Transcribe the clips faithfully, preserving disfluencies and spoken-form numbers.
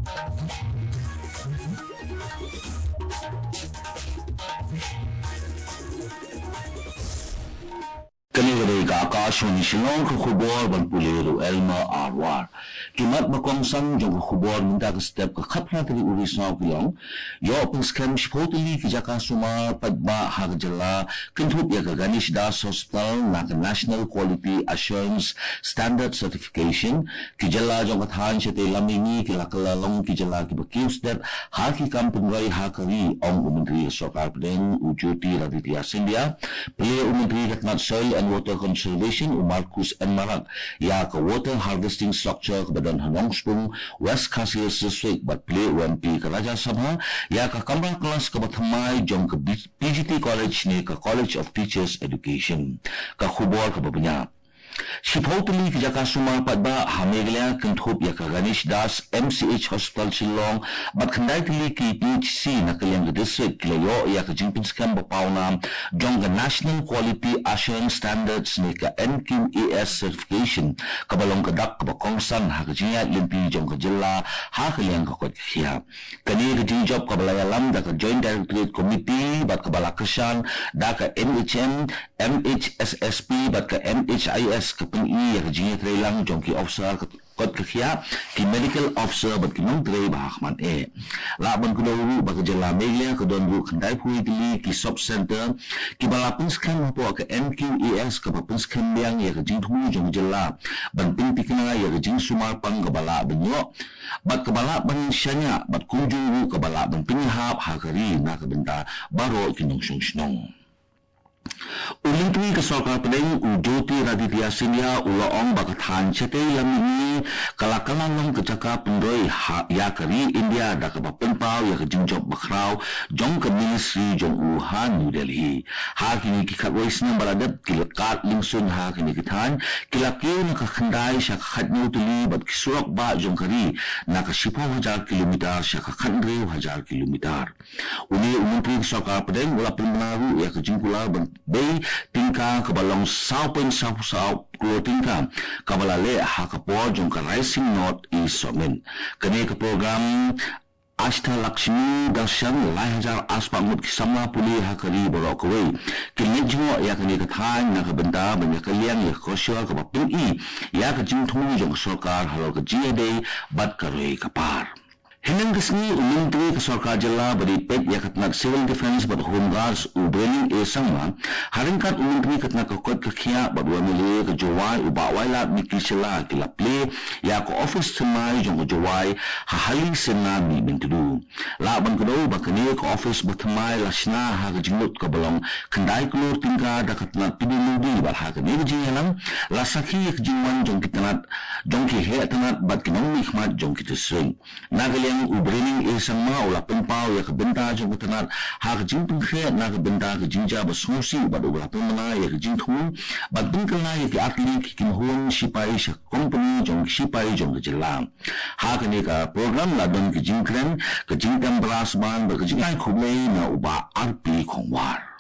Kane ka dei ka Akashvani Shillong, ka khubor ban pule da u Elmer Arwar. Ki mat ba kongsan jong ka khubor mynta ka step ka khatphra tarik u Risaw ki long: Ïoh pynskhem shiphew tylli ki jaka sumar paidbah ha ka jylla kynthup ïa ka Ganesh Das Hospital na ka National Quality Assurance Standard Certification. Ki jylla jong ka thaiñ shatei lam mihngi ki la kylla long ki jylla kiba kiew stet ha ki kam pynroi ha ka ri, ong u Myntri ka Sorkar Pdeng u Jyotiraditya Scindia. Plie u Myntri ka tnat Soil and Water Conservation u Marcuise N Marak ïa ka water harvesting structure kaba don ha Nongspung, West Khasi Hills District, bad plie u M P ka Rajya Sabha ïa ka kamra klas kaba thymmai jong ka B-, P G T College ne ka College of Teachers Education. Ka khubor kaba bniah. Shiphew tylli ki jaka sumar paidbah ha Meghalaya kynthup ïa ka Ganesh Das M C H Hospital Shillong bad khyndai tylli ki P H C na ka liang ka district ki la ïoh ïa ka jingpynskhem ba pawnam jong ka National Quality Assurance Standards ne ka N Q A S certification, kaba long ka dak kaba kongsan ha ka jingïaid lynti jong ka jylla ha ka liang ka koit ka khiah. Kane ka jingjop kaba la ïalam da ka Joint Directorate Committee bad kaba la kyrshan da ka N H M, M H S S P bad ka M H I S ka pyni ïa ka jingïatreilang jong ki officer ka koit ka khiah, ki medical officer bad ki nongtrei ba ha khmat eh. Lah ban kdew ruh ba ka jylla Meghalaya ka don ruh khyndaiphew tylli ki sub center kiba la pynskhem hapoh ka N Q A S kaba pynskhem biang ïa ka jingthmu jong ka jylla ban pynthikna ïa ka jingsumar pang kaba lah ban ïoh bad kaba lah ban shaniah bad kumjuh ruh kaba lah ban pynïahap ha ka ri na ka bynta baroh ki nongshong shnong. U Myntri ka Sorkar Pdeng u Jyotiraditya Scindia u la ong ba ka thaiñ shatei lam mihngi ka la kylla long ka jaka pynroi ha ïa ka ri India da kaba pynpaw ïa ka jingjop bakhraw jong ka ministry jong u ha New Delhi. Ha kine ki khatwei snem ba la dep, ki la kad lyngsuin ha kine ki thaiñ ki la kiew na ka khyndai sha ka khathynñiew tylli bad ki surok bah jong ka ri na ka shiphew hajar kilometer sha ka khathynriew hajar kilometer. Une u Myntri ka Sorkar Pdeng u la pynbna ruh ïa ka jingkular ban bei tyngka kaba long saw point saw saw klur tyngka kaba la leh ha ka por jong ka Rising North East Summit. Kane ka program Ashtalakshmi Darshan, lai hajar arspah ngut ki samla pule ha ka ri baroh kawei kin leit jngoh ïa kane ka thaiñ na ka bynta ban ïa kylliang ïa ka korsor kaba pyni ïa ka jingthmu jong ka sorkar halor ka jingïadei bad ka roi ka par. Hynnin ka sngi u Myntri ka Sorkar Jylla ba dei peit ïa ka tnat Civil Defence bad Home Guards u Brening A Sangma, ha ryngkat u Myntri ka tnat ka koit ka khiah bad u M L A ka Jowai u Bah Wailadmiki Shylla ki la plie ïa ka ophis thymmai jong ka Jowai ha Hali Syrna mynhynnin. Lah ban kdew ba kane ka ophis ba thymmai la shna ha ka jinglut kaba long khyndai klur tyngka da ka tnat P W D bad ha kane ka jingïalang la sakhi ïa ka jingwan jong ki tnat, jong ki heh tnat bad ki nongmihkhmat jong ki district. Na ka liang u Brening A Sangma u la pynpaw ïa ka bynta jong ka tnat ha ka jingpynkhreh na ka bynta ka jingjia ba sngewsih bad u la pynbna ïa ka jingthmu bad pynkylla ïa ki artylli ki kynhun shipai sha ka kompani jong ki shipai jong ka jylla. Ha kane ka program la don ka jingkren, ka jingtem brass band bad ka jingkhublei na u Bah R P Khongwar.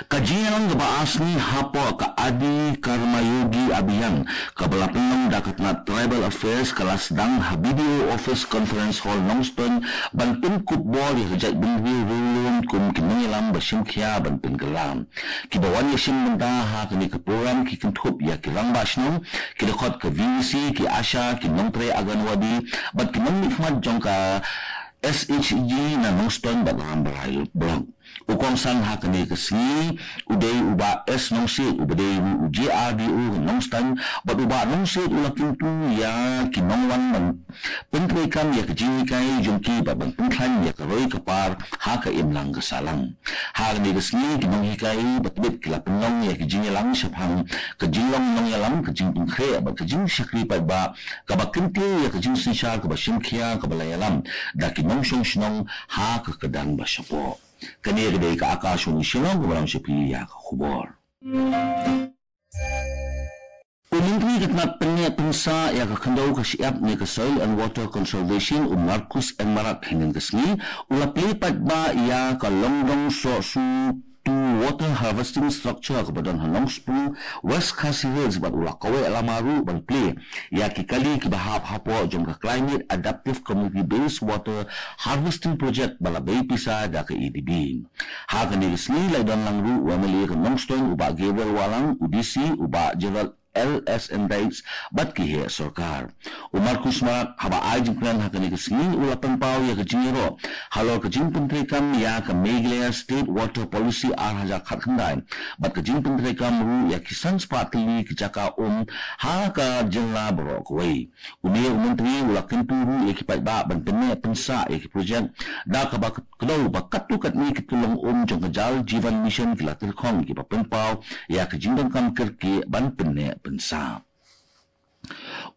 Ka jingïalang kaba ar sngi hapoh ka Adi Karmayogi Abhiyan kaba la pynlong da ka tnat Tribal Affairs ka la sdang ha B D O Office Conference Hall Nongstoiñ ban pynkup bor ïa ka jaitbynriew riewlum kum ki nongïalam ba shim khia ban pynkylla. Kiba wan ïashim bynta ha kane ka program ki kynthup ïa ki rangbah shnong, ki dkhot ka V V C, ki ASHA, ki nongtrei Anganwadi bad ki nongmihkhmat jong ka S H G na Nongstoiñ bad Rambrai Block. U kongsan ha kane ka sngi u dei u Bah S Nongsiej uba dei ruh u J R D O ka Nongstoiñ bad u Bah Nongsiej u la kyntu ïa ki nongwan ban pyntreikam ïa ka jinghikai jong ki bad ban pynkhlaiñ ïa ka roi ka par ha ka imlang ka sahlang. Ha kane ka sngi ki nonghikai ba tbit ki la pynlong ïa ka jingïalang shaphang ka jinglong nongïalam, ka jingpynkhreh bad ka jingshakri paidbah kaba kyntiew ïa ka jingsynshar kaba shim khia kaba la ïalam da ki nongshong shnong ha ka kyrdan ba shapoh. Kane ka dei ka Akashvani Shillong kaba lam sha phi ïa ka khubor. U Myntri ka tnat pynneh pynsah ïa ka khyndew ka shyiap ne ka Soil and Water Conservation u Marcuise N Marak hynnin ka sngi u la plie paidbah ïa ka Longdong Sohsu tu water harvesting structure kaba don ha Nongspung, West Khasi Hills bad u la kaweh lama ruh ban plie ïa ki kali kiba hap hapoh jong ka Climate Adaptive Community Based Water Harvesting Project ba la bei pisa da ka A D B. Ha kane ka sngi la don lang ruh u M L A ka Nongstoiñ u Bah Gabriel Wahlang, u D C u Bah Gerald L S N Dykes bad ki heh sorkar. U Marcuise Marak haba ai jingkren ha kane ka sngi u la pynpaw ïa ka jingïaroh halor ka jingpyntreikam ïa ka Meghalaya State Water Policy ar hajar khatkhyndai bad ka jingpyntreikam ruh ïa ki san spah tylli ki jaka um ha ka jylla baroh kawei. Une u myntri u la kyntu ruh ïa ki paidbah ban pynneh pynsah ïa ki projek da kaba kdew ba katto katne ki tyllong um jong ka Jal Jeevan Mission ki la tyrkhong kiba pynpaw ïa ka jingdonkam kyrkieh ban pynneh pynsah.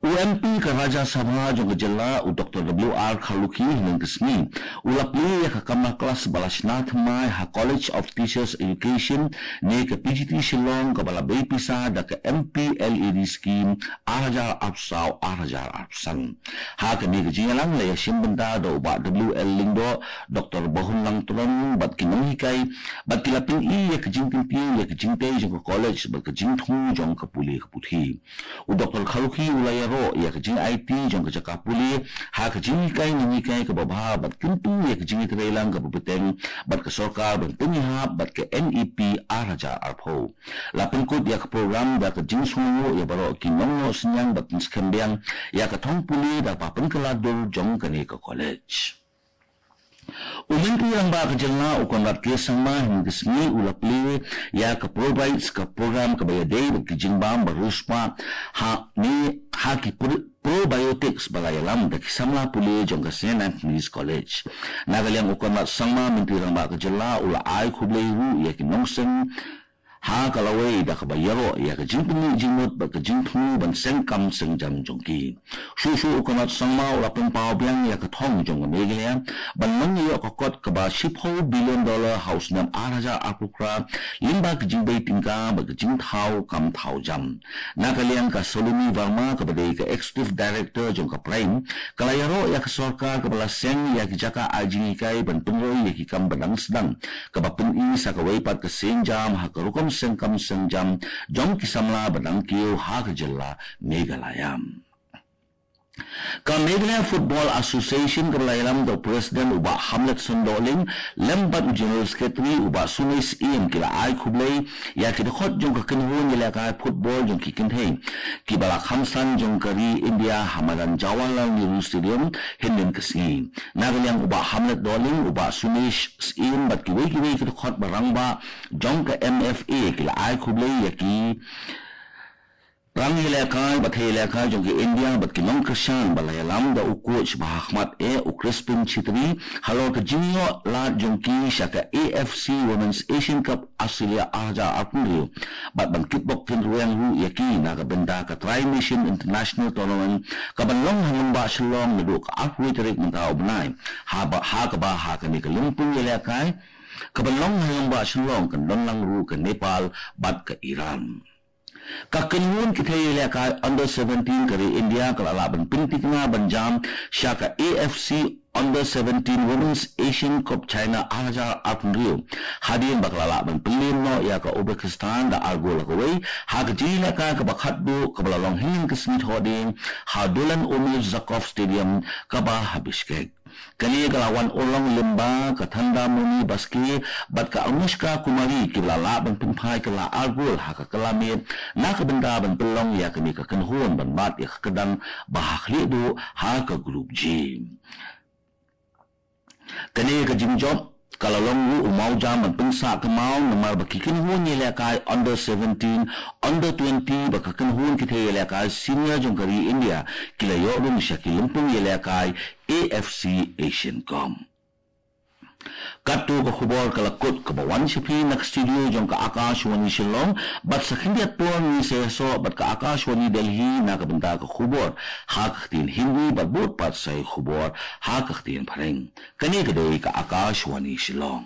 U M P ka Rajya Sabha jong ka jylla u Doctor W R Kharlukhi hynnin ka sngi u la plie ïa ka kamra klas ba la shna thymmai ha College of Teachers Education ne ka P G T Shillong kaba la bei pisa da ka M P L A D scheme ar hajar arphew saw ar hajar arphew san. Ha kane ka jingïalang la ïashim bynta da u Bah W L Lyngdoh, Doctor Bahunlang Tron bad ki nonghikai bad ki la pyni ïa ka jingkyntiew ïa ka jingtei jong ka college bad ka jingthmu jong ka pule ka puthi. U Doctor Kharlukhi u la ïaroh ïa ka jingaiti jong ka jaka pule ha ka jinghikai nonghikai kaba bha bad kyntu ïa ka jingïatreilang kaba bteng bad ka sorkar ban pynïahap bad ka N E P ar hajar arphew. La pynkut ïa ka program da ka jingsngewnguh ïa baroh ki nongnoh synñiang bad pynskhem biang ïa ka thong pule da kaba pynkylla dur jong kane ka college. U Myntri Rangbah ka jylla u Conrad K Sangma hynnin ka sngi u la plie ïa ka Probites, ka program kaba ïadei bad ki jingbam ba riewspah ha ne ha ki pro- probiotics ba la ïalam da ki samla pule jong ka Saint Anthony's College. Na ka liang u Conrad Sangma, Myntri Rangbah ka jylla u la ai khublei ruh ïa ki nongseng ha ka lawei da kaba ïaroh ïa ka jingpynmih jingmut bad ka jingthmu ban seng kam seng jam jong ki. Shuh shuh u Conrad Sangma u la pynpaw biang ïa ka thong jong ka Meghalaya ban long ïa ka kot kaba shiphew billion dollar ha u snem ar hajar arphew phra lyngba ka jingbei tyngka bad ka jingthaw kam thaw jam. Na ka liang ka Saloni Verma kaba dei ka Executive Director jong ka PRIME ka la ïaroh ïa ka sorkar kaba la seng ïa ki jaka ai jinghikai ban pynroi ïa ki kam ba dang sdang kaba pyni sa kawei pat ka sienjam ha ka rukom seng kam seng jam jong ki samla ba dang kiew ha ka jylla Meghalaya. Ka Meghalaya Football Association kaba la ïalam da u President u Bah Hamletson Dohling lem bad u General Secretary u Bah Sunesh Syiem ki la ai khublei ïa ki dkhot jong ka kynhun ïalehkai football jong ki kynthei kiba la kham san jong ka ri India ha madan Jawaharlal Nehru Stadium hynnin ka sngi. Na ka liang u Bah Hamlet Dohling, u Bah Sunesh Syiem bad kiwei kiwei ki dkhot ba rangbah jong ka M F A ki la ai khublei ïa ki rangïalehkai bad thei ïalehkai jong ka India bad ki nongkyrshan ba la ïalam da u coach ba ha khmat eh u Crispin Chitri halor ka jingïoh lad jong ki sha ka A F C Women's Asian Cup Australia ar hajar arphew hynriew bad ban kitbok kynrueng ruh ïa ki na ka bynta ka Tri Nation International Tournament kaban long ha Nongbah Shillong naduh ka arphew tarik mynta u bnai. Haba ha kaba ha kane ka lympung ïalehkai kaban long ha Nongbah Shillong kan don lang ruh ka Nepal bad ka Iran. Ka kynhun ki thei ïalehkai under seventeen ka ri India ka la lah ban pynthikna ban jam sha ka A F C Under seventeen Women's Asian Cup China ar hajar arphew hynriew hadien ba ka la lah ban pynliem noh ïa ka Uzbekistan da ar gol ha kawei ha ka jingïalehkai kaba khatduh kaba la long hynnin ka sngi Thohdieng ha Dolan Omir Zakov Stadium kaba ha Bishkek. Kane ka la wan urlong lyngba ka Thandamoni Baske bad ka Anushka Kumari kiba la lah ban pynphai kylla ar gol ha ka kylla miet na ka bynta ban pynlong ïa kane ka kynhun ban bat ïa ka kyrdan ba ha khlieh duh ha ka Group G. Kane ka jingjop ka la long ruh u mawjam ban pynsah kynmaw namar ba ki kynhun ïalehkai under seventeen, under twenty bad ka kynhun ki thei ïalehkai senior jong ka ri India ki la ïoh rung sha ki lympung ïalehkai A F C Asian Cup. Katto ka khubor ka la kut kaba wan sha phi na ka studio jong ka Akashvani Shillong bad sa khyndiat por ngin sa ïasoh bad ka Akashvani Delhi na ka bynta ka khubor ha ka ktien Hindi bad bud pat sa ïa khubor ha ka ktien Phareng. Kane ka dei ka Akashvani Shillong.